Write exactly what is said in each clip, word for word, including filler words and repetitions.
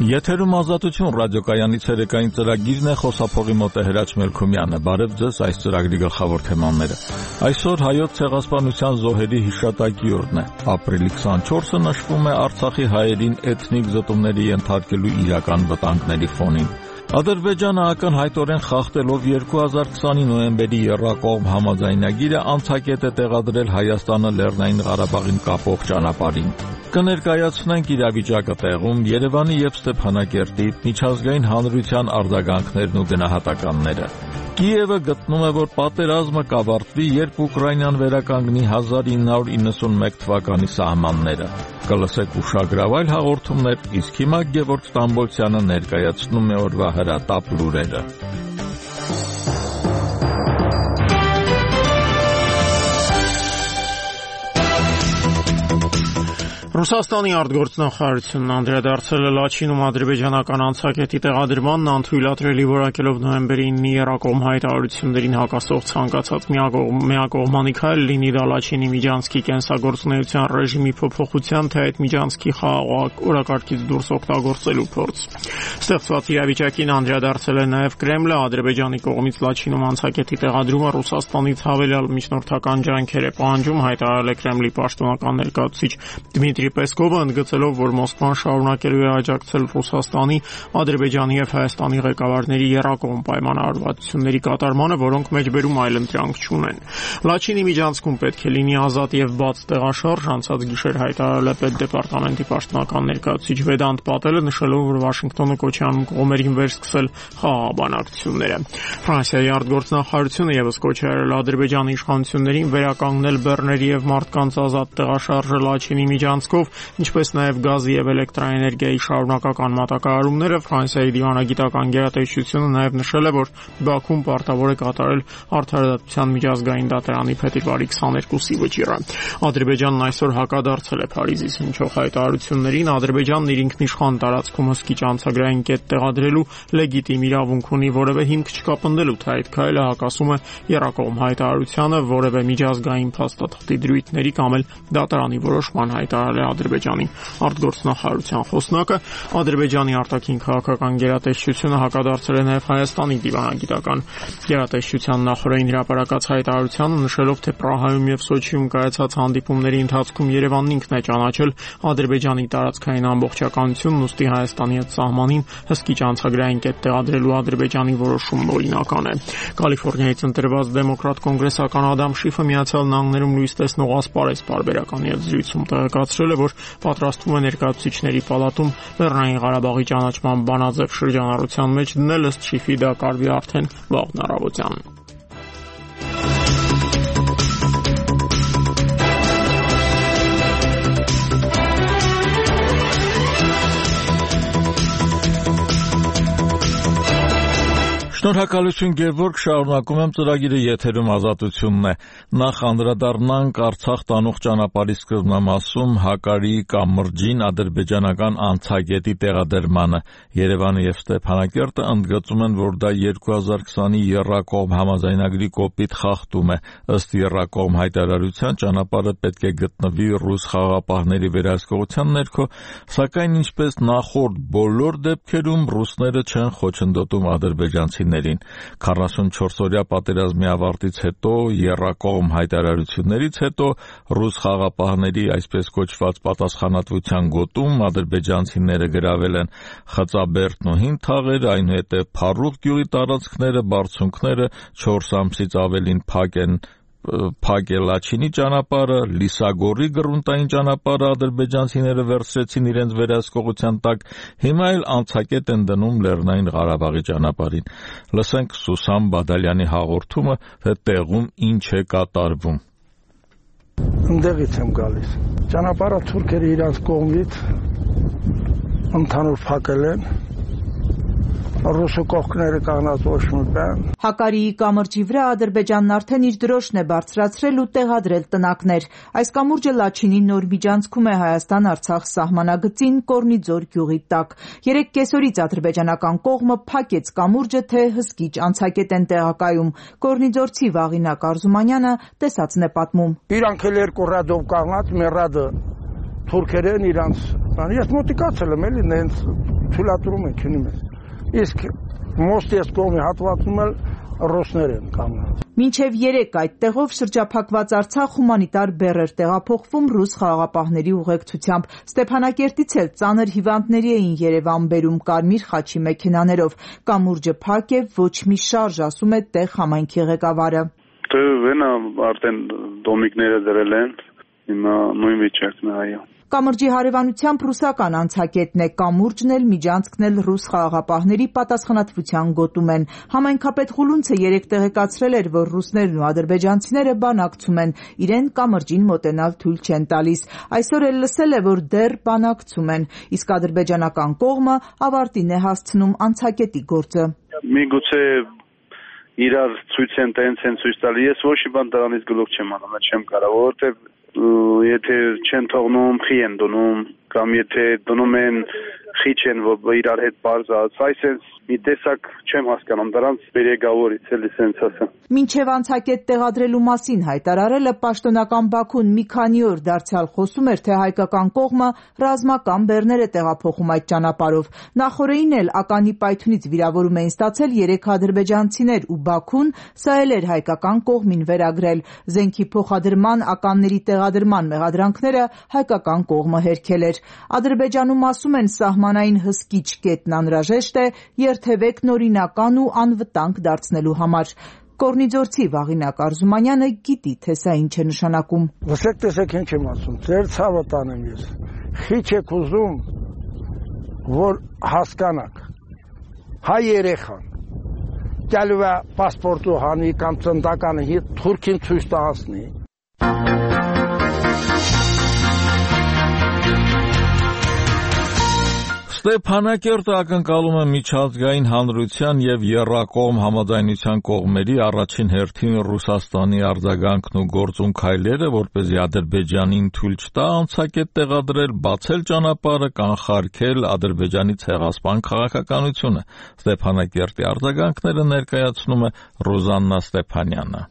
Եթերում ազատություն ռադիոկայանի ցերեկային ծրագիրն է, խոսափողի մոտ է Հրաչ Մելքումյանը։ Բարև ձեզ, այս ծրագրի գլխավոր թեմաները։ Այսօր հայոց ցեղասպանության զոհերի հիշատակի օրն է։ Ապրիլի քսանչորսը նշվում է Արցախի հայերին էթնիկ զտումների ենթարկելու իրական վտանգների ֆոնին։ Ադրբեջանը ակնհայտորեն խախտելով երկու հազար քսանի նոյեմբերի եռակողմ համաձայնագիրը անցակետ է տեղադրել Հայաստանը Լեռնային Ղարաբաղին կապող ճանապարհին։ Կներկայացնենք իրավիճակը տեղում, Երևանի եւ Ստեփանակերտի միջազգային հանրության արձագանքներն ու գնահատականները։ Կիևը գտնում է, որ պատերազմը կավարտվի, երբ Ուկրաինան վերականգնի հազար ինը հարյուր իննսունմեկ թվականի սահմանները։ Կլսեք ուշագրավ այլ հաղորդումներ, իսկ հիմա Գևորգ Ստամբոլցյանը ներկայացնում է օրվա հրատապ լուրերը։ Ռուսաստանի արտգործնախարարությունն անդրադարձել է Լաչինում ադրբեջանական անցակետի տեղադրմանն անթույլատրելի որակելով նոյեմբերի ինը եռակողմ հայտարարություններին հակասող ցանկացած միակողմանի քայլ, լինի դա Լաչինի միջանցքի կենսագործունեության ռեժիմի փոփոխության, թե այդ միջանցքի խաղաղ օրակարգից դուրս օգտագործելու փորձ։ Ստեղծված իրավիճակին անդրադարձել է նաև Կրեմլը, Ադրբեջանի կողմից Լաչինում անցակետի տեղադրումը Ռուսաստանից հավելյալ միջնորդական ջանքեր է պահանջում, հայտարարել է Կրեմլի պաշտոնական ներկայացուցիչ Դմիտրի Պեսկովը, ընդգծելով, որ Մոսկվան շարունակելու է աջակցել Ռուսաստանի, Ադրբեջանի եւ Հայաստանի ղեկավարների եռակողմ պայմանավորվածությունների կատարմանը, որոնք մեջբերում այլընտրանք չունեն։ Լաչինի միջանցքում պետք է լինի ազատ եւ բաց տեղաշարժ, անցած գիշեր հայտարարել է պետդեպարտամենտի պաշտոնական ներկայացուցիչ Վեդանտ Պատելը, նշելով, որ Վաշինգտոնը կոչ է անում կողմերին վերսկսել խաղաղ բանակցությունները։ Ֆրանսիայի արտգործնախարարությունը եւս կոչ է արել Ադրբեջանի իշխանություններին վերականգնել բեռների եւ մարդկանց ազատ տեղաշարժը Լաչինի միջանցքով, ինչպես նաև գազի եւ էլեկտրաէներգիայի շարունակական մատակարարումները։ Ֆրանսիայի դիվանագիտական գերատեսչությունը նաև նշել է, որ Բաքուն պարտավոր է կատարել Արդարադատության միջազգային դատարանի փետրվարի քսաներկուսի վճիռը։ Ադրբեջանն այսօր հակադարձել է Փարիզից հնչող հայտարարություններին։ Ադրբեջանն իր ինքնիշխան տարածքում հսկիչ անցագրային կետ տեղադրելու լեգիտիմ իրավունք ունի, որևէ հիմք չկա պնդելու, թե այդ քայլը հակասում է եռակողմ հայտարարությանը, որևէ միջազգային փաստաթղթի դրույթների կամ էլ դատարանի որոշման, հայտարարել է Ադրբեջանի արտգործնախարարության խոսնակը։ Ադրբեջանի արտաքին քաղաքական գերատեսչությունը հակադարձել է նաև Հայաստանի դիվանագիտական գերատեսչության նախորդին հրապարակած հայտարարությանը, նշելով, թե Պրահայում եւ Սոչիում կայացած հանդիպումների ընթացքում Երևանն ինքն է ճանաչել Ադրբեջանի տարածքային ամբողջականությունն, ուստի Հայաստանի հետ սահմանին հսկիչ անցագրային կետ տեղադրելու Ադրբեջանի որոշումն օրինական է։ Կալիֆոռնիայից ընտրված դեմոկրատ կոնգրեսական Ադամ Շիֆը Միացյալ Նահանգներում լույս տեսնող ասպարեզ պարբերականի հետ զրույցում տեղեկացրել է, որ պատրաստվում է ներկայացուցիչների պալատում Լեռնային Ղարաբաղի ճանաչման բանաձև շրջանառության մեջ դնել, ըստ Շիֆի դա կարվի արդեն վաղն առավոտյան։ Շնորհակալություն Գևորգ, շարունակում եմ ծրագիրը, եթերում ազատությունն է։ Նախ անդրադառնանք Արցախ տանող ճանապարհի սկզբնամասում Հակարի կամրջին ադրբեջանական անցակետի տեղադրմանը։ Երևանը եւ Ստեփանակերտը ընդգծում են, որ դա երկու հազար քսանի եռակողմ համաձայնագրի կոպիտ խախտում է։ Ըստ եռակողմ հայտարարության ճանապարհը պետք է գտնվի ռուս խաղաղապահների վերահսկողության ներքո, սակայն ինչպես նախորդ բոլոր դեպքերում ռուսները չեն խոչընդոտում ադրբեջանցիներին։ քառասունչորսօրյա պատերազմի ավարտից հետո, եռակողմ հայտարարություններից հետո ռուս խաղաղապահների այսպես կոչված պատասխանատվության գոտում ադրբեջանցիները գրավել են Խծաբերդն ու Հին Թաղերը, այնուհետև Փառուխ գյուղի տարածքները, բարձունքները, չորս ամսից ավելին փակ են Փակ է Լաչինի ճանապարհը, Լիսագորի գրունտային ճանապարհը ադրբեջանցիները վերցրեցին իրենց վերահսկողության տակ, հիմա էլ անցակետ են դնում Լեռնային Ղարաբաղի ճանապարհին։ Լսենք Սուսան Բադալյանի հաղորդումը, թե տեղում ինչ է կատարվում։ Ընդեղից եմ գալիս։ Ճանապարհը թուրքերը իրենց կողմից ընդհանուր փակել են։ Ռուսը կողքները կանգնած ոչ մի բան։ Հակարիի կամրջի վրա Ադրբեջանն արդեն իր դրոշն է բարձրացրել ու տեղադրել տնակներ։ Այս կամուրջը Լաչինի նոր միջանցքում է Հայաստան-Արցախ սահմանագծին Կորնիձոր գյուղի տակ։ Երեք կեսօրից ադրբեջանական կողմը փակեց կամուրջը, թե հսկիչ անցակետ են տեղակայում։ Կորնիձորցի Վաղինակ Արզումանյանը տեսածն է պատմում։ Իրանք էլ երկու ռադով կանգնած, մեր ռադը թուրքերեն իրանց։ Ես մոտիկացել եմ էլի նենց թույլատրում են քնում են։ Իսկ մոստի այս կողմի հատվածում էլ ռուսներ են կանգնած։ Մինչև երեք այդտեղով շրջափակված Արցախ հումանիտար բեռ էր տեղափոխվում ռուս խաղաղապահների ուղեկցությամբ։ Ստեփանակերտից էլ ծանր հիվանդների էին Երևան բերում կարմիր խաչի մեքենաներով։ Կամուրջը փակ է, ոչ մի շարժ, ասում է տեղ համայնքի ղեկավարը։ Դե վենա արդեն դոմիկները դրել են, հիմա նույն վիճակն է, այո։ Կամրջի հարևանությամբ ռուսական անցակետն է, կամուրջն էլ միջանցքն էլ ռուս խաղաղապահների պատասխանատվության գոտում են։ Համայնքապետ Խուլունցը երեկ տեղեկացրել էր, որ ռուսներն ու ադրբեջանցիները բանակցում են, իրեն կամրջին մոտենալ թույլ չեն տալիս։ Այսօր էլ լսել է, որ դեռ բանակցում են, իսկ ադրբեջանական կողմը ավարտին է հասցնում անցակետի գործը։ Միգուցե իրար ցույց են տենց են ցույց տալի, ես ոչ մի բան դրանից գլուխ չեմ անում, չեմ կարող, որովհետև եթե չեն թողնում, խի են դնում, կամ եթե դնում են, խի չեն, որ իրար հետ բարձած, այսպես մի տեսակ չեմ հասկանում, դրանց բերեգավորից էլի սենց ասեմ։ Մինչև անցակետ տեղադրելու մասին հայտարարելը պաշտոնական Բաքուն մի քանի օր դարձյալ խոսում էր, թե հայկական կողմը ռազմական բեռներ է տեղափոխում այդ ճանապարհով։ Նախորդին էլ ականի պայթյունից վիրավորում էին ստացել երեք ադրբեջանցիներ ու Բաքուն սա էլ էր հայկական կողմին վերագրել։ Զենքի փոխադրման, ականների տեղադրման մեղադրանքները հայկական կողմը հերքել էր։ Ադրբեջանում ասում են սահմանային հսկիչ կետն անհրաժեշտ է երթևեկն օրինական ու անվտանգ դարձնելու համար։ Կորնիձորցի Վաղինակ Արզումանյանը գիտի, թե սա ինչ է նշանակում։ Լսեք, տեսեք ինչ եմ ասում, ձեր ցավը տանեմ ես։ Խիչ եք ուզում, որ հասկանաք։ Հայ երեխան գալու է պասպորտու հանի կամ ծնդականը հետ Թուրքին ցույց տասնի։ Ստեփանակերտը ակնկալում է միջազգային հանրության եւ եռակողմ համաձայնության կողմերի առաջին հերթին Ռուսաստանի արձագանքն ու գործուն քայլերը, որպեսզի Ադրբեջանին թույլ չտա անցակետ տեղադրել, բացել ճանապարհը, կանխարգել Ադրբեջանի ցեղասպան քաղաքականությունը։ Ստեփանակերտի արձագանքները ներկայացնում է Ռոզաննա Ստեփանյանը։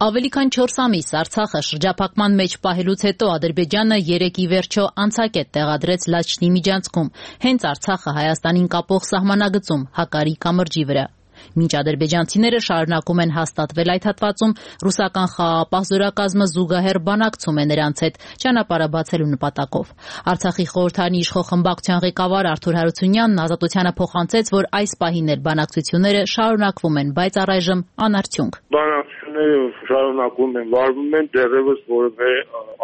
Ավելի քան չորս ամիս Արցախը շրջափակման մեջ պահելուց հետո Ադրբեջանը երեկ ի վերջո անցակետ տեղադրեց Լաչինի միջանցքում, հենց Արցախը Հայաստանին կապող սահմանագծում Հակարի կամրջի վրա։ Մինչ ադրբեջանցիները շարունակում են հաստատվել այդ հատվածում, ռուսական խաղաղապահ զորակազմը զուգահեռ բանակցում է նրանց հետ ճանապարհը բացելու նպատակով։ Արցախի խորհրդարանի իշխող խմբակցության ղեկավար Արթուր Հարությունյանն Ազատությանը փոխանցեց, որ այս պահին էլ բանակցությունները շարունակվում են, բայց առայժմ անարդյունք։ Բանակցությունները շարունակվում են, վարվում են, դեռևս որևէ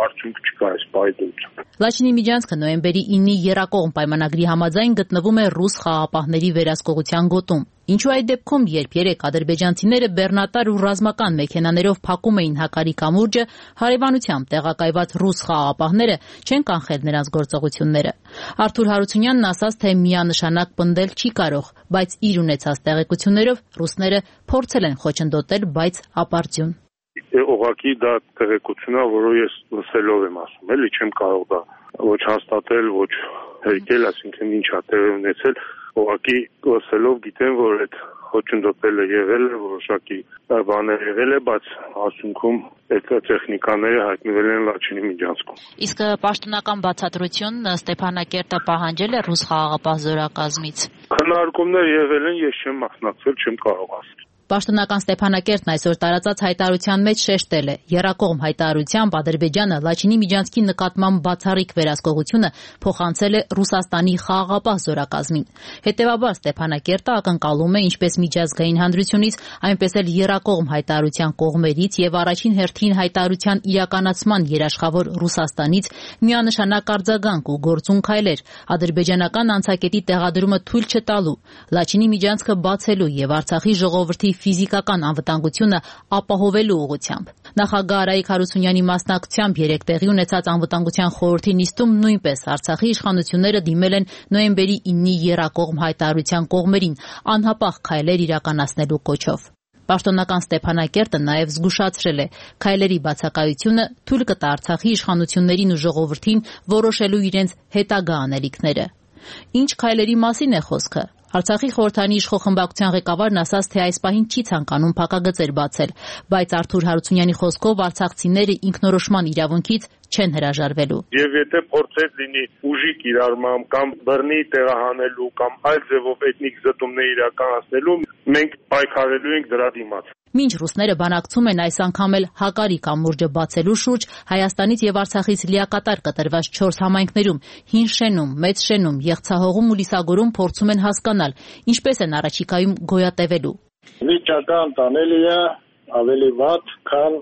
արդյունք չկա այս պայմաններում։ Լաչինի միջանցքը նոյեմբերի իննի եռակողմ պայմանագրի համաձայն գտնվում է ռուս խաղաղապահների վերահսկողության գոտում։ Ինչու այդ դեպքում, երբ երեք ադրբեջանցիները բեռնատար ու ռազմական մեքենաներով փակում էին Հակարի կամուրջը, հարևանությամբ տեղակայված ռուս խաղաղապահները չեն կանխել նրանց գործողությունները։ Արթուր Հարությունյանն ասաց, թե միանշանակ պնդել չի կարող, բայց իր ունեցած տեղեկություններով ռուսները փորձել են խոչընդոտել, բայց ապարդյուն։ Ուղղակի դա տեղեկություն է, որը ես լսելով եմ ասում, էլի չեմ կարող դա ոչ հաստատել, ոչ հերկել, այսինքն ինչ է տեղի ունեցել, ուղղակի լսելով գիտեմ, որ այդ խոչընդոտելը եղել է, որոշակի բաներ եղել է, բայց ասունքում այդ տեխնիկաները հայտնվել են Լաչինի միջանցքում։ Իսկ պաշտոնական բացատրություն Ստեփանակերտը պահանջել է ռուս խաղաղապահ զորակազմից։ Քննարկումներ եղել են, ես չեմ մասնակցել, չեմ կարող ասել։ Պաշտոնական Ստեփանակերտն այսօր տարածած հայտարարության մեջ շեշտել է. Եռակողմ հայտարարությամբ Ադրբեջանը Լաչինի միջանցքի նկատմամբ բացառիկ վերահսկողությունը փոխանցել է Ռուսաստանի խաղաղապահ զորակազմին։ Հետևաբար Ստեփանակերտը ակնկալում է ինչպես միջազգային հանրությունից, այնպես էլ եռակողմ հայտարարության կողմերից եւ առաջին հերթին հայտարարության իրականացման երաշխավոր Ռուսաստանից միանշանակ արձագանք ու գործուն քայլեր ադրբեջանական անցակետի տեղադրումը թույլ չտալու, Լաչինի միջանցքը բացելու եւ Արցախի ժողովրդի ֆիզիկական անվտանգությունը ապահովելու ուղղությամբ։ Նախագահ Արայիկ Հարությունյանի մասնակցությամբ երեկ տեղի ունեցած անվտանգության խորհրդի նիստում նույնպես Արցախի իշխանությունները դիմել են նոյեմբերի իննի եռակողմ հայտարարության կողմերին անհապաղ քայլեր իրականացնելու կոչով։ Պաշտոնական Ստեփանակերտը նաև զգուշացրել է քայլերի բացակայությունը թույլ կտա Արցախի իշխանություններին ու ժողովրդին որոշելու իրենց հետագա անելիքները։ Ինչ քայլերի մասին է խոսքը։ Արցախի խորհրդարանի իշխող խմբակցության ղեկավարն ասաց, թե այս պահին չի ցանկանում փակագծեր բացել, բայց Արթուր Հարությունյանի խոսքով արցախցիները ինքնորոշման իրավունքից չեն հրաժարվելու։ Եվ եթե փորձեր լինի ուժի կիրառմամբ կամ բռնի տեղահանելու կամ այլ ձևով էթնիկ զտումներ իրականացնելու, մենք պայքարելու ենք դրա դիմաց։ Մինչ ռուսները բանակցում են այս անգամ էլ Հակարի կամուրջը բացելու շուրջ, Հայաստանից եւ Արցախից լիակատար կտրված չորս համայնքներում՝ Հին Շենում, Մեծ Շենում, Եղցահողում ու Լիսագորում փորձում են հասկանալ, ինչպես են առաջիկայում գոյատևելու։ Վիճակը անտանելի է, ավելի վատ, քան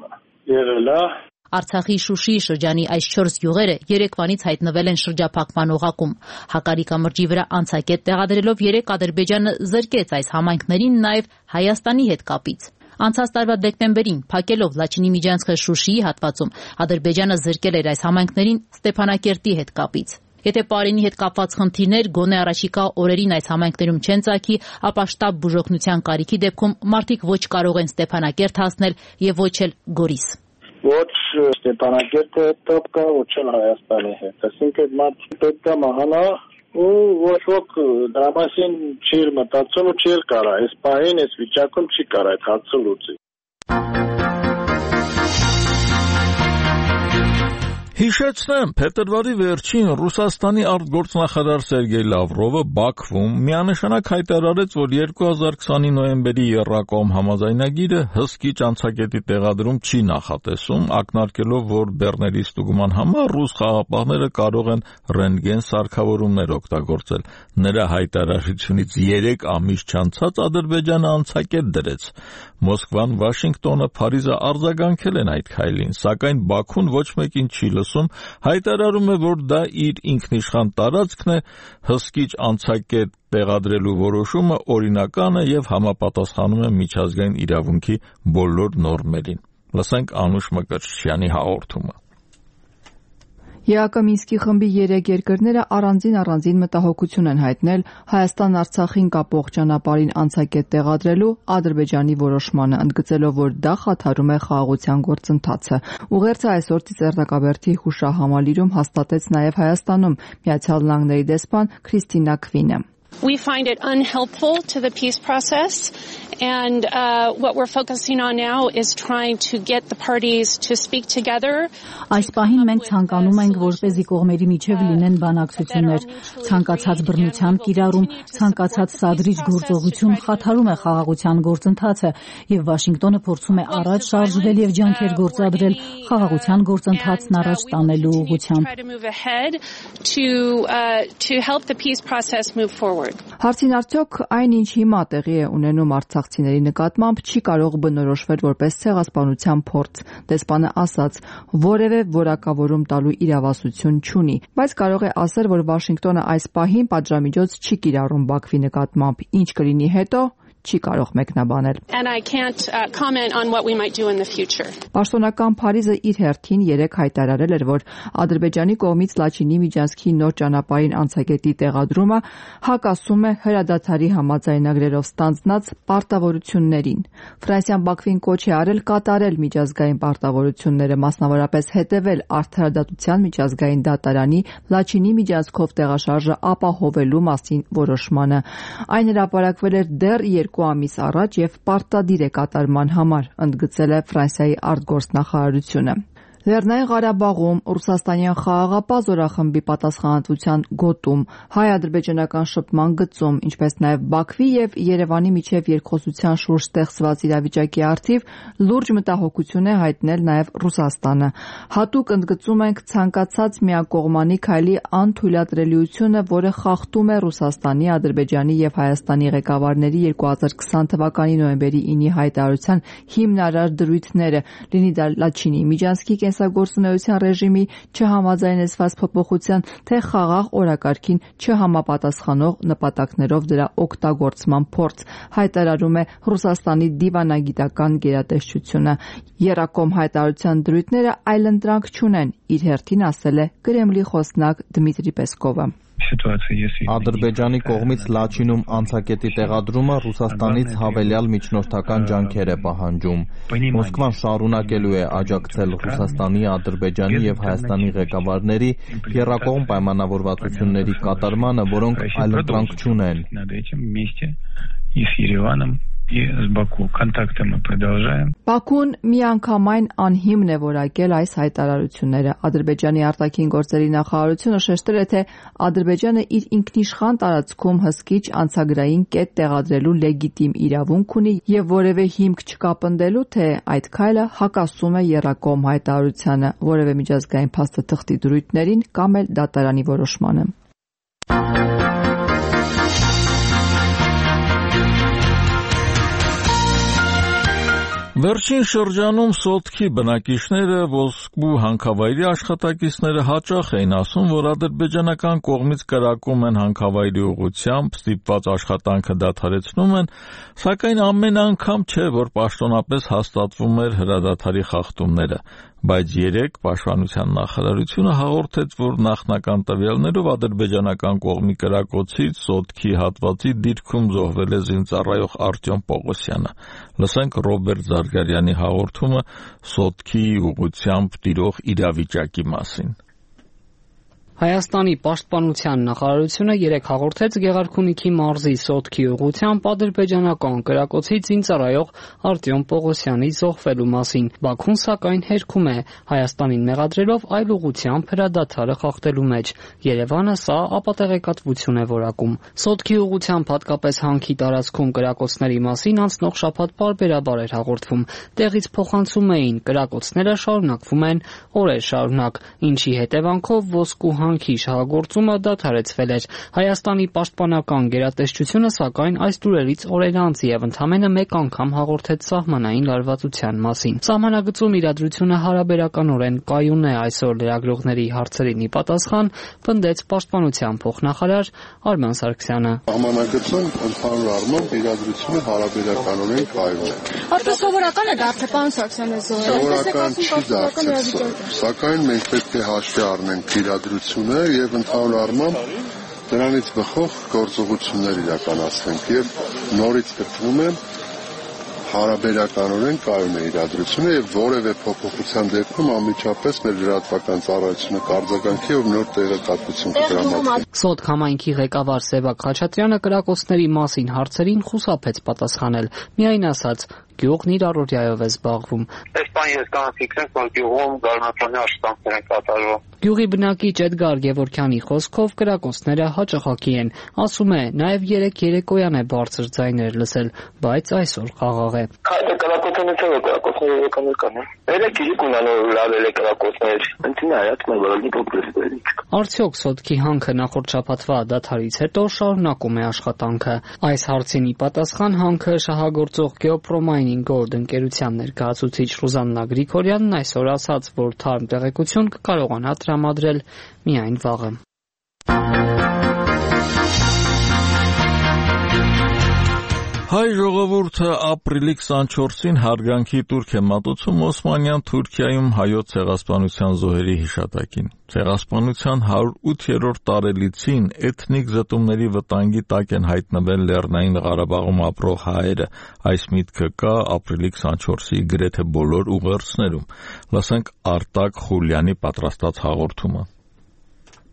եղել է։ Արցախի Շուշիի շրջանի այս չորս գյուղերը երեկվանից հայտնվել են շրջափակման օղակում։ Հակարի կամրջի վրա անցակետ տեղադրելով երեք Ադրբեջանը զրկեց այս համայնքներին նաև Հայաստանի հետ կապից։ Անցած տարվա դեկտեմբերին փակելով Լաչինի միջանցքը Շուշիի հատվածում Ադրբեջանը զրկել էր այս համայնքներին Ստեփանակերտի հետ կապից։ Եթե Պարինի հետ կապված խնդիրներ գոնե առաջիկա օրերին այս համայնքներում չեն ծագի, ապա շտաբ բուժօգնության կարիքի դեպքում մարդիկ ոչ կարող են Ստեփանակերտ հասնել եւ ոչ էլ Գորիս։ Ոչ Ստեփանակերտը տոպ կա, ոչ էլ Հայաստանի հետ։ Այսինքն մարդ պետք է մահանա ու ոչ ոք դրա մասին չի մտածում ու չի կարա։ Այս պահին, այս վիճակում չի կարա այդ հարցը լուծի։ Հիշեցնեմ, փետրվարի վերջին Ռուսաստանի արտգործնախարար Սերգեյ Լավրովը Բաքվում միանշանակ հայտարարեց, որ երկու հազար քսանի նոյեմբերի Եռակոմ համաձայնագիրը հսկիչ անցակետի տեղադրում չի նախատեսում, ակնարկելով, որ բեռների ստուգման համար ռուս խաղապահները կարող են ռենտգեն սարքավորումներ օգտագործել։ Նրա հայտարարությունից երեք ամիս չանցած Ադրբեջանը անցակետ դրեց։ Մոսկվան, Վաշինգտոնը, Փարիզը արձագանքել են այդ քայլին, սակայն Բաքուն ոչ մեկին չի լսում, հայտարարում է, որ դա իր ինքնիշխան տարածքն է, հսկիչ անցակետ տեղադրելու որոշումը օրինական է եւ համապատասխանում է միջազգային իրավունքի բոլոր նորմերին։ Լսենք Անուշ Մկրտչյանի հաղորդումը։ ԵԱԿ Մինսկի խմբի երեք երկրները առանձին-առանձին մտահոգություն են հայտնել Հայաստան-Արցախին կապող ճանապարհին անցակետ տեղադրելու Ադրբեջանի որոշմանը, ընդգծելով, որ դա խաթարում է խաղաղության գործընթացը։ Ուղերձը այսօր Ծիծեռնակաբերդի հուշահամալիրում հաստատեց նաև Հայաստանում Միացյալ Նահանգների դեսպան Քրիստինա Քվինը։ We find it unhelpful to the peace process, and uh, what we're focusing on now is trying to get the parties to speak together. Այս պահին մենք ցանկանում ենք, որպեսզի կողմերի միջև լինեն բանակցություններ, ցանկացած բռնության կիրառում, ցանկացած սադրիչ գործողություն խաթարում է խաղաղության գործընթացը, եւ Վաշինգտոնը փորձում է առաջ շարժվել եւ ջանքեր գործադրել խաղաղության գործընթացն առաջ տանելու ուղղությամբ։ Հարցին արդյոք այն, ինչ հիմա տեղի է ունենում արցախցիների նկատմամբ, չի կարող բնորոշվել որպես ցեղասպանության փորձ։ Դեսպանը ասաց, որևէ որակավորում տալու իրավասություն չունի, բայց կարող է ասել, որ Վաշինգտոնը այս պահին պատժամիջոց չի կիրառում Բաքվի նկատմամբ, ինչ կլինի հետո չի կարող մեկնաբանել։ Պաշտոնական Փարիզը իր հերթին երեկ հայտարարել էր, որ Ադրբեջանի կողմից Լաչինի միջանցքի նոր ճանապարհին անցակետի տեղադրումը հակասում է հրադադարի համաձայնագրերով ստանձնած պարտավորություններին։ Ֆրանսիան Բաքվին կոչ է արել կատարել միջազգային պարտավորությունները, մասնավորապես հետևել արդարադատության միջազգային դատարանի Լաչինի միջանցքով տեղաշարժը ապահովելու մասին որոշմանը։ Այն հրապարակվել էր դեռ երկու ամիս առաջ եւ պարտադիր է կատարման համար, ընդգծել է Ֆրանսիայի արտգործնախարարությունը։ Լեռնային Ղարաբաղում Ռուսաստանյան խաղաղապահ զորախմբի պատասխանատվության գոտում, հայ-ադրբեջանական շփման գծում, ինչպես նաև Բաքվի եւ Երևանի միջև երկխոսության շուրջ ստեղծված իրավիճակի առթիվ լուրջ մտահոգություն է հայտնել նաև Ռուսաստանը։ Հատուկ ընդգծում ենք ցանկացած միակողմանի քայլի անթույլատրելիությունը, որը խախտում է Ռուսաստանի, Ադրբեջանի եւ Հայաստանի ղեկավարների երկու հազար քսան թվականի նոյեմբերի ինի հայտարարության հիմնարար դրույթները, լինի դա Լաչինի միջանցքի կենսագործունեության ռեժիմի չհամաձայնեցված փոփոխության, թե խաղաղ օրակարգին չհամապատասխանող նպատակներով դրա օգտագործման փորձ, հայտարարում է Ռուսաստանի դիվանագիտական գերատեսչությունը։ Եռակոմ հայտարարության դրույթները այլընտրանք չունեն, իր հերթին ասել է Կրեմլի խոսնակ Դմիտրի Պեսկովը։ Ադրբեջանի կողմից Լաչինում անցակետի տեղադրումը Ռուսաստանից հավելյալ միջնորդական ջանքեր է պահանջում։ Մոսկվան շարունակելու է աջակցել Ռուսաստանի, Ադրբեջանի եւ Հայաստանի ղեկավարների եռակողմ պայմանավորվածությունների կատարմանը, որոնք այլընտրանք չունեն։ И с Баку контакты мы продолжаем. Բաքուն միանգամայն անհիմն է որակել այս հայտարարությունները։ Ադրբեջանի արտաքին գործերի նախարարությունը շեշտել է, թե Ադրբեջանը իր ինքնիշխան տարածքում հսկիչ անցագրային կետ տեղադրելու լեգիտիմ իրավունք ունի եւ որևէ հիմք չկա պնդելու, թե այդ քայլը հակասում է եռակողմ հայտարարությանը, որևէ միջազգային փաստաթղթի դրույթներին կամ էլ դատարանի որոշմանը։ Վերջին շրջանում Սոտքի բնակիչները ոսկու հանքավայրի աշխատակիցները հաճախ էին ասում, որ ադրբեջանական կողմից կրակում են հանքավայրի ուղղությամբ, ստիպված աշխատանքը դադարեցնում են, սակայն ամեն անգամ չէ, որ պաշտոնապես հաստատվում էր հրադադարի խախտումները, բայց երեկ Պաշտպանության նախարարությունը հաղորդեց, որ նախնական տվյալներով ադրբեջանական կողմի կրակոցից Սոտքի հատվածի դիրքում զոհվել է զինծառայող Արտյոմ Պողոսյանը։ Լսենք Ռոբերտ Զարգարյանի հաղորդումը Սոտքի ուղղությամբ տիրող իրավիճակի մասին։ Հայաստանի պաշտպանության նախարարությունը երեկ հաղորդեց Գեղարքունիքի մարզի Սոտքի ուղղությամբ ադրբեջանական կրակոցից զինծառայող Արտյոմ Պողոսյանի զոհվելու մասին։ Բաքուն սակայն հերքում է, Հայաստանին մեղադրելով այլ ուղղությամբ հրադադարը խախտելու մեջ։ Երևանը սա ապատեղեկատվություն է որակում։ Սոտքի ուղղությամբ հատկապես հանքի տարածքում կրակոցների մասին անցնող շաբաթ պարբերաբար էր հաղորդվում։ Տեղից փոխանցում էին, կրակոցները շարունակվում են օրեր շարունակ, ինչի հետևանքով ոսկու հանքի շահագործումը դադարեցվել էր։ Հայաստանի պաշտպանական գերատեսչությունը սակայն այս լուրերից օրեր անց եւ ընդամենը մեկ անգամ հաղորդեց սահմանային լարվածության մասին։ Սահմանագծում իրադրությունը հարաբերականորեն կայուն է, այսօր լրագրողների հարցերին ի պատասխան պնդեց պաշտպանության փոխնախարար Արման Սարգսյանը։ Սահմանագծում ընդհանուր առմամբ իրադրությունը հարաբերականորեն կայուն է։ Արդյոք սովորական է դարձել, պարոն Սարգսյանը, սովորական չի դարձել, սակայն մենք պետք է հաշվի առնենք իրադրությունը եւ ընդհանուր առմամբ դրանից բխող գործողություններ իրականացնենք եւ նորից կրկնում եմ հարաբերականորեն կայուն է իրադրությունը եւ որևէ փոփոխության դեպքում անմիջապես մեր լրատվական ծառայությունը կարձագանքի եւ նոր տեղեկատվություն կտրամադրի։ Սոտք համայնքի ղեկավար Սևակ Խաչատրյանը կրակոցների մասին հարցերին խուսափեց պատասխանել։ Միայն ասաց, գյուղն իր առօրյայով է զբաղվում։ Այս բան ես կարող ֆիքսենք, որ գյուղում գարնացանի աշխատանքներ են կատարվում։ Գյուղի բնակիչ Էդգար Գևորգյանի խոսքով կրակոցները հաճախակի են։ Ասում է, նաև երեք երեկոյան է բարձր ձայներ լսել, բայց այսօր խաղաղ է։ Քայլը կրակոցները չէ, կրակոցները եկան եկան։ Երեք իսկ ունանով լավել է կրակոցներ։ Ընտին հայացք մեր որի փոքրեցների։ Արդյոք Սոտքի հանքը նախորդ շաբաթվա դադարից հետո շարունակում է աշխատանքը։ Այս հարցին ի պատասխան հանքը շահագործող Գեոպրոմայնինգ Գորդ ընկերության ներկայացուցիչ Ռուզաննա Գրիգորյանն այսօր ասաց, որ թարմ տեղեկություն կկարողանա տրամադրել միայն վաղը։ Հայ ժողովուրդը ապրիլի քսանչորսին հարգանքի տուրք է մատուցում Օսմանյան Թուրքիայում հայոց ցեղասպանության զոհերի հիշատակին։ Ցեղասպանության հարյուր ութերորդ տարելիցին էթնիկ զտումների վտանգի տակ են հայտնվել Լեռնային Ղարաբաղում ապրող հայերը։ Այս միտքը կա ապրիլի քսանչորսի գրեթե բոլոր ուղերձներում։ Լսենք Արտակ Խուլյանի պատրաստած հաղորդումը։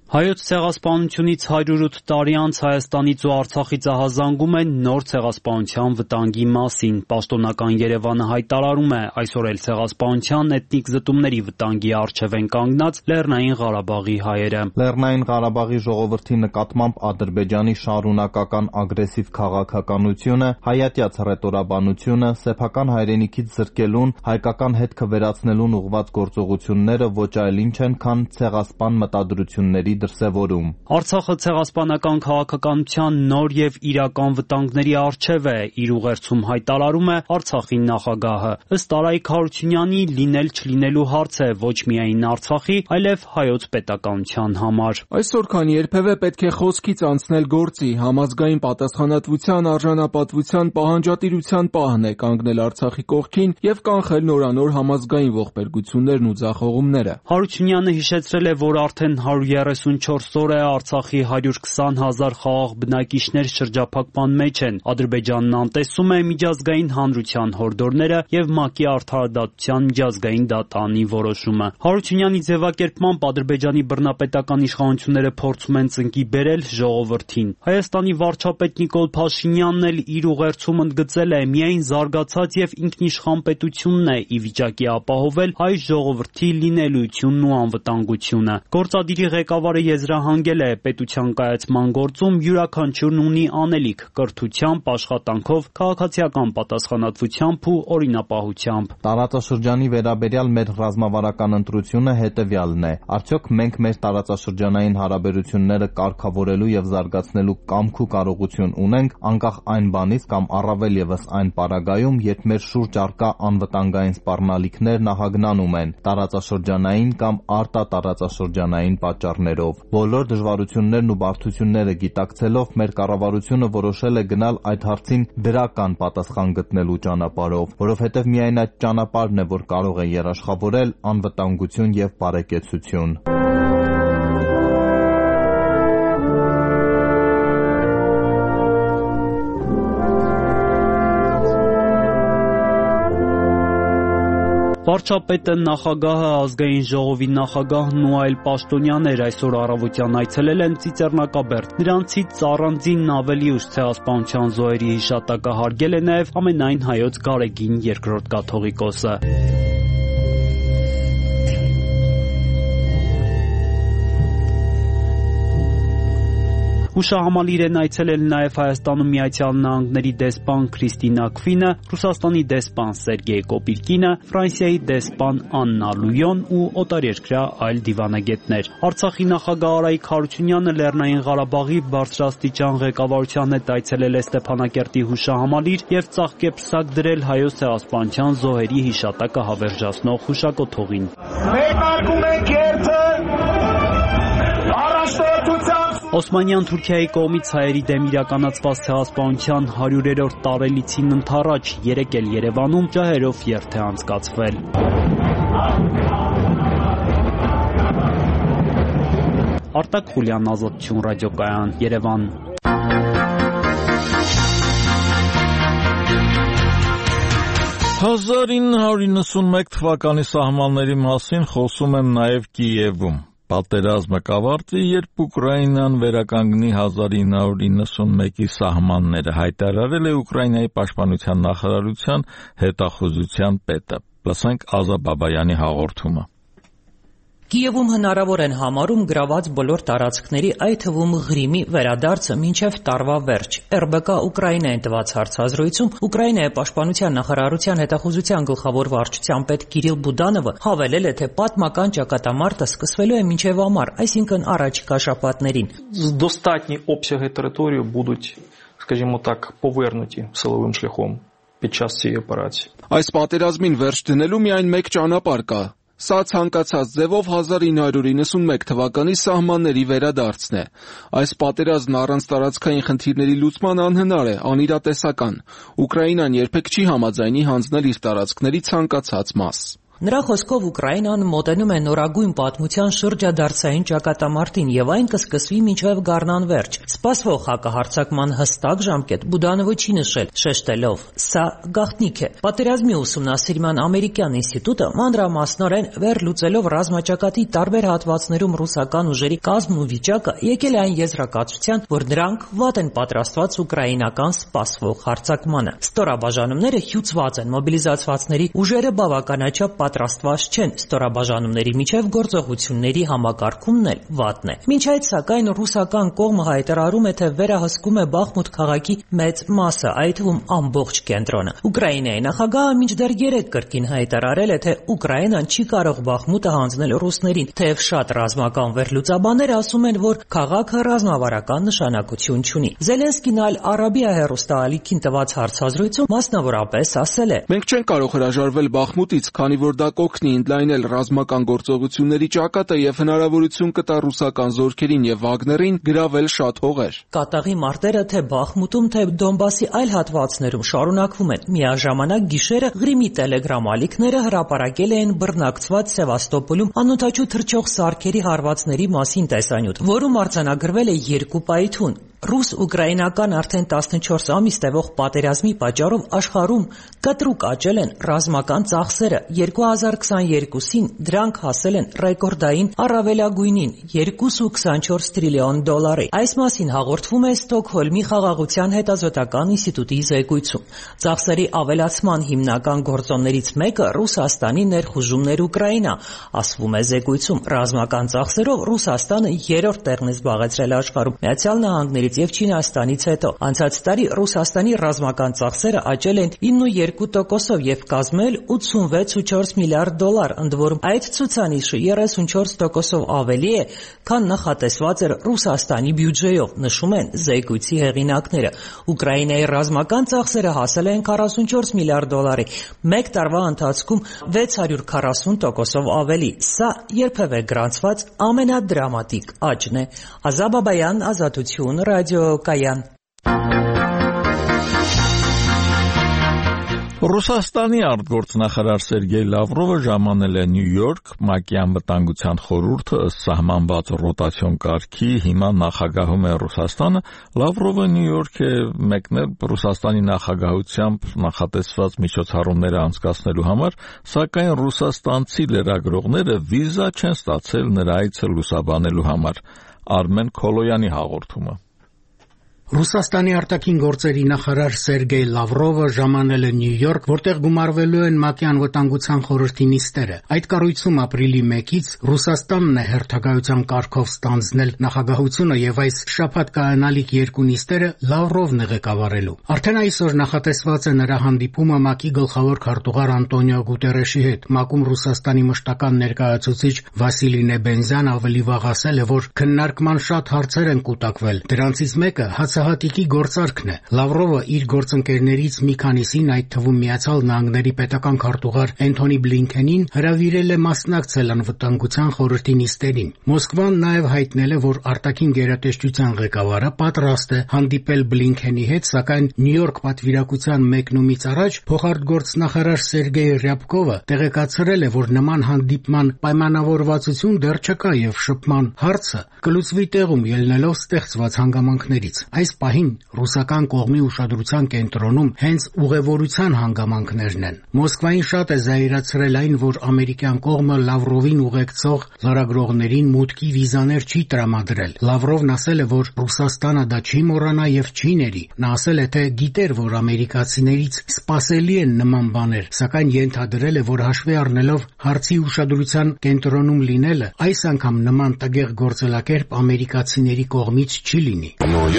Հայոց ցեղասպանությունից հարյուր ութ տարի անց Հայաստանից ու Արցախից ահազանգում են նոր ցեղասպանության վտանգի մասին։ Պաշտոնական Երևանը հայտարարում է, այսօր էլ ցեղասպանության էթնիկ զտումների վտանգի առջև են կանգնած Լեռնային Ղարաբաղի հայերը։ Լեռնային Ղարաբաղի ժողովրդի նկատմամբ Ադրբեջանի շարունակական ագրեսիվ քաղաքականությունը, հայատյաց հռետորաբանությունը, սեփական հայրենիքից զրկելուն, հայկական հետքը վերացնելուն ուղղված գործողությունները ոչ այլ ինչ են, քան ցեղասպան մտադրությունների դրսևորում։ Արցախը ցեղասպանական քաղաքականության նոր եւ իրական վտանգների առջև է, իր ուղերձում հայտարարում է Արցախի նախագահը։ Ըստ Արայիկ Հարությունյանի լինել չլինելու հարց է ոչ միայն Արցախի, այլև հայոց պետականության համար։ Այսօր քան երբևէ պետք է խոսքից անցնել գործի, համազգային պատասխանատվության, արժանապատվության, պահանջատիրության պահն է կանգնել Արցախի կողքին եւ կանխել նորանոր համազգային ողբերգություններն ու ձախողումները։ Հարությունյանը հիշեցրել է, որ արդեն հարյուր երեսուն յիսունչորս օր է Արցախի հարյուր քսան հազար խաղաղ բնակիչներ շրջափակման մեջ են։ Ադրբեջանն անտեսում է միջազգային հանրության հորդորները եւ ՄԱԿ-ի արդարադատության միջազգային դատարանի որոշումը։ Հարությունյանի ձևակերպմամբ Ադրբեջանի բռնապետական իշխանությունները փորձում են ծնկի բերել ժողովրդին։ Հայաստանի վարչապետ Նիկոլ Փաշինյանն էլ իր ուղերձում ընդգծել է միայն զարգացած եւ ինքնիշխան պետությունն է ի վիճակի ապահովել հայ ժողովրդի լինելույթյունն ու անվտանգությունը։ Գործադիրի ղեկավարը եզրահանգել է պետության կայացման գործում յուրաքանչյուրն ունի անելիք կրթությամբ, աշխատանքով, քաղաքացիական պատասխանատվությամբ ու օրինապահությամբ։ Տարածաշրջանի վերաբերյալ մեր ռազմավարական ընտրությունը հետևյալն է. արդյոք մենք մեր տարածաշրջանային հարաբերությունները կարգավորելու եւ զարգացնելու կամք ու կարողություն ունենք, անկախ այն բանից կամ առավել եւս այն պարագայում, երբ մեր շուրջ առկա անվտանգային սպառնալիքներ նահագնանում են տարածաշրջանային կամ արտատարածաշրջանային պատճառներով։ Բոլոր դժվարություններն ու բարդությունները գիտակցելով մեր կառավարությունը որոշել է գնալ այդ հարցին դրական պատասխան գտնելու ճանապարհով, որովհետև միայն այդ ճանապարհն է, որ կարող է երաշխավորել անվտանգություն եւ բարեկեցություն։ Վարչապետը, նախագահը, ազգային ժողովի նախագահն ու այլ պաշտոնյաներ այսօր առավոտյան այցելել են Ծիծեռնակաբերդ։ Նրանցից առանձին ավելի ուշ ցեղասպանության զոհերի հիշատակը հարգել է նաև ամենայն հայոց Գարեգին երկրորդ կաթողիկոսը։ Հուշահամալիր են այցելել նաև Հայաստանում Միացյալ Նահանգների դեսպան Քրիստինա Քվինը, Ռուսաստանի դեսպան Սերգեյ Կոպիրկինը, Ֆրանսիայի դեսպան Աննա Լույոն ու օտարերկրյա այլ դիվանագետներ։ Արցախի նախագահ Արայիկ Հարությունյանը Լեռնային Ղարաբաղի բարձրաստիճան ղեկավարության հետ այցելել է Ստեփանակերտի հուշահամալիր եւ ծաղկեպսակ դրել հայոց ցեղասպանության զոհերի հիշատակը հավերժացնող հուշակոթողին։ Մեկարգում ենք երթը առաջնորդությամբ Օսմանյան Թուրքիայի կողմից հայերի դեմ իրականացված ցեղասպանության հարյուրերորդ տարելիցին ընթառաջ երեկ էլ Երևանում ջահերով երթ է անցկացվել։ Արտակ Խուլյան, Ազատություն ռադիոկայան, Երևան։ հազար ինը հարյուր իննսունմեկ թվականի սահմանների մասին խոսում են նաև Կիևում։ Պատերազմը կավարտվի, երբ Ուկրաինան վերականգնի հազար ինը հարյուր իննսունմեկի սահմանները, հայտարարել է Ուկրաինայի պաշտպանության նախարարության հետախուզության պետը։ Լսենք Ազա Բաբայանի հաղորդումը։ Կիևում հնարավոր են համարում գրաված բոլոր տարածքների, այդ թվում Ղրիմի վերադարձը մինչև տարվա վերջ։ Ռ B K Ուկրաինային տված հարցազրույցում Ուկրաինայի պաշտպանության նախարարության հետախուզության գլխավոր վարչության պետ Կիրիլ Բուդանովը հավելել է, թե պատմական ճակատամարտը սկսվելու է մինչև ամառ, այսինքն առաջիկա շաբաթներին։ Достатні обсяги території будуть, скажімо так, повернуті силовим шляхом під час цієї операції. Այս պատերազմին վերջ դնելու միայն մեկ ճանապարհ կա։ Սա ցանկացած ձևով հազար ինը հարյուր իննսունմեկ թվականի սահմանների վերադարձն է։ Այս պատերազմն առանց տարածքային խնդիրների լուծման անհնար է, անիրատեսական։ Ուկրաինան երբեք չի համաձայնի հանձնել իր տարածքների ցանկացած մաս։ Նրա խոսքով Ուկրաինան մոտենում է նորագույն պատմության շրջադարձային ճակատամարտին եւ այն կսկսվի մինչեւ գարնան վերջ։ Սպասվող հակահարձակման հստակ ժամկետ Բուդանովը չի նշել, շեշտելով. «Սա գաղտնիք է»։ Պատերազմի ուսումնասիրման ամերիկյան ինստիտուտը մանրամասնորեն վերլուծելով ռազմաճակատի տարբեր հատվածներում ռուսական ուժերի կազմն ու վիճակը եկել է այն եզրակացության, որ նրանք վատ են պատրաստված ուկրաինական սպասվող հարձակմանը։ Ստորաբաժանումները հյուծված են, մոբիլիզացվածների ուժերը բավականաչափ պատրաստված չեն, ստորաբաժանումների միջև գործողությունների համակարգումն էլ վատն է։ Մինչ այդ, սակայն, ռուսական կողմը հայտարարում է, թե վերահսկում է Բախմուտ քաղաքի մեծ մասը, այդ թվում ամբողջ կենտրոնը։ Ուկրաինայի նախագահը մինչդեռ երեկ կրկին հայտարարել է, թե Ուկրաինան չի կարող Բախմուտը հանձնել ռուսներին, թեև շատ ռազմական վերլուծաբաններ ասում են, որ քաղաքը ռազմավարական նշանակություն չունի։ Զելենսկին այլ Արաբիա հեռուստաալիքին տված հարցազրույցում մասնավորապես ասել է. «Մենք չենք կարող հրաժարվել Բախմուտից, քանի որ որ դա կօգնի ընդլայնել ռազմական գործողությունների ճակատը եւ հնարավորություն կտա ռուսական զորքերին եւ Վագներին գրավել շատ հողեր։ Կատաղի մարտերը թե Բախմուտում, թե Դոնբասի այլ հատվածներում շարունակվում են։ Միաժամանակ գիշերը Ղրիմի տելեգրամ ալիքները հրապարակել էին բռնակցված Սևաստոպոլում անօդաչու թռչող սարքերի հարվածների մասին տեսանյութ, որում արձանագրվել է երկու պայթյուն։ Ռուս-ուկրաինական արդեն տասնչորս ամիս տևող պատերազմի պատճառով աշխարհում կտրուկ աճել են ռազմական ծախսերը։ երկու հազար քսաներկուսին դրանք հասել են ռեկորդային առավելագույնին երկու կողմ քսանչորս տրիլիոն դոլարի։ Այս մասին հաղորդվում է Ստոկհոլմի խաղաղության հետազոտական ինստիտուտի զեկույցում։ Ծախսերի ավելացման հիմնական գործոններից մեկը Ռուսաստանի ներխուժումն էր Ուկրաինա, ասվում է զեկույցում։ Ռազմական ծախսերով Ռուսաստանը երրորդ տեղն է զբաղեցրել աշխարհում, Միացյալ Նահանգներից եւ Չինաստանից հետո։ Անցած տարի Ռուսաստանի ռազմական ծախսերը աճել են ինը կողմ երկու տոկոսով եւ կազմել ութսունվեց կողմ չորս միլիարդ դոլար, ընդ որում այդ ցուցանիշը երեսունչորս տոկոսով ավելի է, քան նախատեսված էր Ռուսաստանի բյուջեով, նշում են զեկույցի հեղինակները։ Ուկրաինայի ռազմական ծախսերը հասել են քառասունչորս միլիարդ դոլարի, մեկ տարվա ընթացքում վեց հարյուր քառասուն տոկոսով ավելի։ Սա երբևէ գրանցված ամենադրամատիկ աճն է։ Ազա Բաբայան, Ազատություն, Ռադիոկայան։ Ռուսաստանի արտգործնախարար Սերգեյ Լավրովը ժամանել է Նյու Յորք ՄԱԿ-ի անվտանգության խորհուրդը ըստ սահմանված ռոտացիոն կարգի հիմա նախագահում է Ռուսաստանը։ Լավրովը Նյու Յորք է մեկնել Ռուսաստանի նախագահությամբ նախատեսված միջոցառումները անցկացնելու համար, սակայն ռուսաստանցի լրագրողները վիզա չեն ստացել նրա այցը լուսաբանելու համար։ Արմեն Քոլոյանի հաղորդումը։ Ռուսաստանի արտաքին գործերի նախարար Սերգեյ Լավրովը ժամանել է Նյու Յորք, որտեղ գումարվելու են ՄԱԿ-ի անվտանգության խորհրդի նիստերը։ Այդ կառույցում ապրիլի մեկից Ռուսաստանն է հերթագայության կարգով ստանձնել նախագահությունը եւ այս շաբաթ կայանալիք երկու նիստերը Լավրովն է ղեկավարելու։ Արդեն այսօր նախատեսված է նրա հանդիպումը ՄԱԿ-ի գլխավոր քարտուղար Անտոնիո Գուտերեշի հետ։ ՄԱԿ-ում Ռուսաստանի մշտական ներկայացուցիչ Վասիլի Նեբենզյան ավելի վաղ ասել է, որ քննարկման շատ հարցեր են կուտակվել։ Դրանցից մեկը հացահատիկի գործարքն է։ Լավրովը իր գործընկերներից մի քանիսին, այդ թվում Միացյալ Նահանգների պետական քարտուղար Էնթոնի Բլինքենին, հրավիրել է մասնակցել անվտանգության խորհրդի նիստերին։ Մոսկվան նաև հայտնել է, որ արտաքին գերատեսչության ղեկավարը պատրաստ է հանդիպել Բլինքենի հետ, սակայն Նյու Յորք պատվիրակության մեկնումից առաջ փոխարտգործնախարար Սերգեյ Ռյաբկովը տեղեկացրել է, որ նման հանդիպման պայմանավորվածություն դեռ չկա եւ շփման հարցը կլուծվի տեղում ելնելով ստեղծված հանգամանքներից։ Այս պահին ռուսական կողմի ուշադրության կենտրոնում հենց ուղևորության հանգամանքներն են։ Մոսկվային շատ է զայրացրել այն, որ ամերիկյան կողմը Լավրովին ուղեկցող լրագրողներին մուտքի վիզաներ չի տրամադրել։ Լավրովն ասել է, որ Ռուսաստանը դա չի մոռանա եւ չի ների։ Նա ասել է, թե գիտեր, որ ամերիկացիներից սպասելի են նման բաներ, սակայն ենթադրել է, որ հաշվի առնելով հարցի ուշադրության կենտրոնում լինելը, այս անգամ նման տգեղ գործելակերպ ամերիկացիների կողմից չի լինի։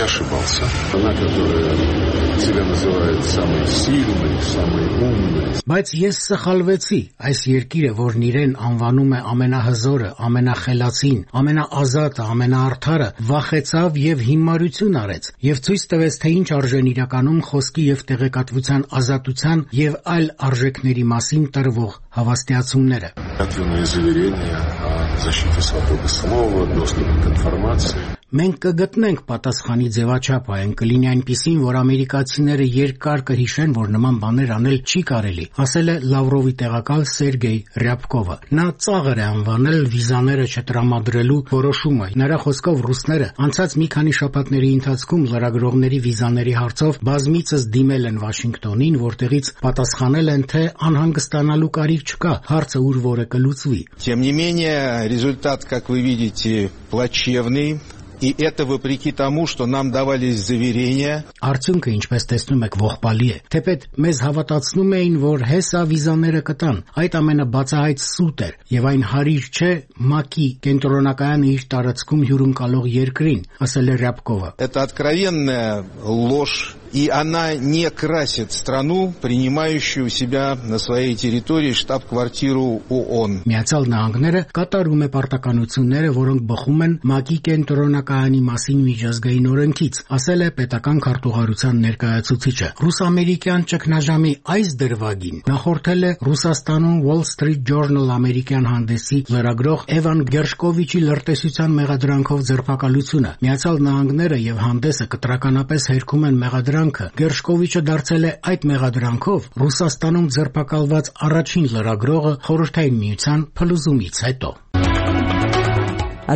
Ошибался. Она, которая себя называет самой сильной, самой умной. Բայց ես սխալվեցի։ Այս երկիրը, որն իրեն անվանում է ամենահզորը, ամենախելացին, ամենաազատը, ամենաարդարը, վախեցավ եւ հիմարություն արեց եւ ցույց տվեց, թե ինչ արժեն իրականում խոսքի եւ տեղեկատվության ազատության եւ այլ արժեքների մասին տրվող հավաստիացումները։ Ответные заверения о защите свободы слова, доступа к информации. Մենք կգտնենք պատասխանի ձևաչափը, այն կլինի այնպիսին, որ ամերիկացիները երկար կհիշեն, որ նման բաներ անել չի կարելի, ասել է Լավրովի տեղակալ Սերգեյ Ռյաբկովը։ Նա ծաղր է անվանել վիզաները չտրամադրելու որոշումը։ Նրա խոսքով ռուսները անցած մի քանի շաբաթների ընթացքում լրագրողների վիզաների հարցով բազմիցս դիմել են Վաշինգտոնին, որտեղից պատասխանել են, թե անհանգստանալու կարիք չկա, հարցը ուր որը կլուծվի։ Тем не менее, результат, как вы видите, плачевный. И это вопреки тому, что нам давались заверения. Արդյունքը, ինչպես տեսնում եք, ողբալի է։ Թեպետ մեզ հավատացնում էին, որ հեսա վիզաները կտան։ Այդ ամենը բացահայտ սուտ էր, եւ այն հարիր չէ ՄԱԿ-ի կենտրոնակայանը իր տարածքում հյուրընկալող երկրին, ասել է Ռյաբկովը։ Это откровенная ложь И она не красит страну, принимающую у себя на своей территории штаб-квартиру ООН. Միացյալ Նահանգները կատարում է պարտականությունները, որոնք բխում են ՄԱԿ-ի կենտրոնակայանի մասին միջազգային օրենքից, ասել է պետական քարտուղարության ներկայացուցիչը։ Ռուս-ամերիկյան ճգնաժամի այս դրվագին նախորդել է Ռուսաստանում Wall Street Journal ամերիկյան հանդեսի լրագրող Էվան Գերշկովիչի լրտեսության մեղադրանքով ձերբակալությունը։ Միացյալ Նահանգները եւ հանդեսը կտրականապես հերքում են մեղադրանքը։ Գերշկովիչը դարձել է այդ մեղադրանքով Ռուսաստանում ձերբակալված առաջին լրագրողը Խորհրդային Միության փլուզումից հետո։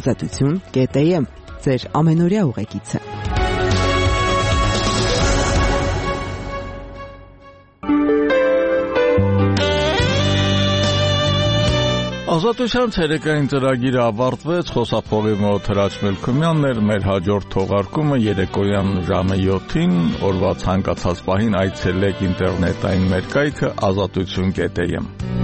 Ազատություն կետ էմ ձեր ամենօրյա ուղեկիցը։ Ազատության ցերեկային ծրագիրը ավարտվեց, խոսափողի մոտ Հրաչ Մելքումյանն էր, մեր հաջորդ թողարկումը երեկոյան ժամը յոթին, օրվա ցանկացած պահին այցելեք ինտերնետային մեր կայքը ազատություն կետ էմ։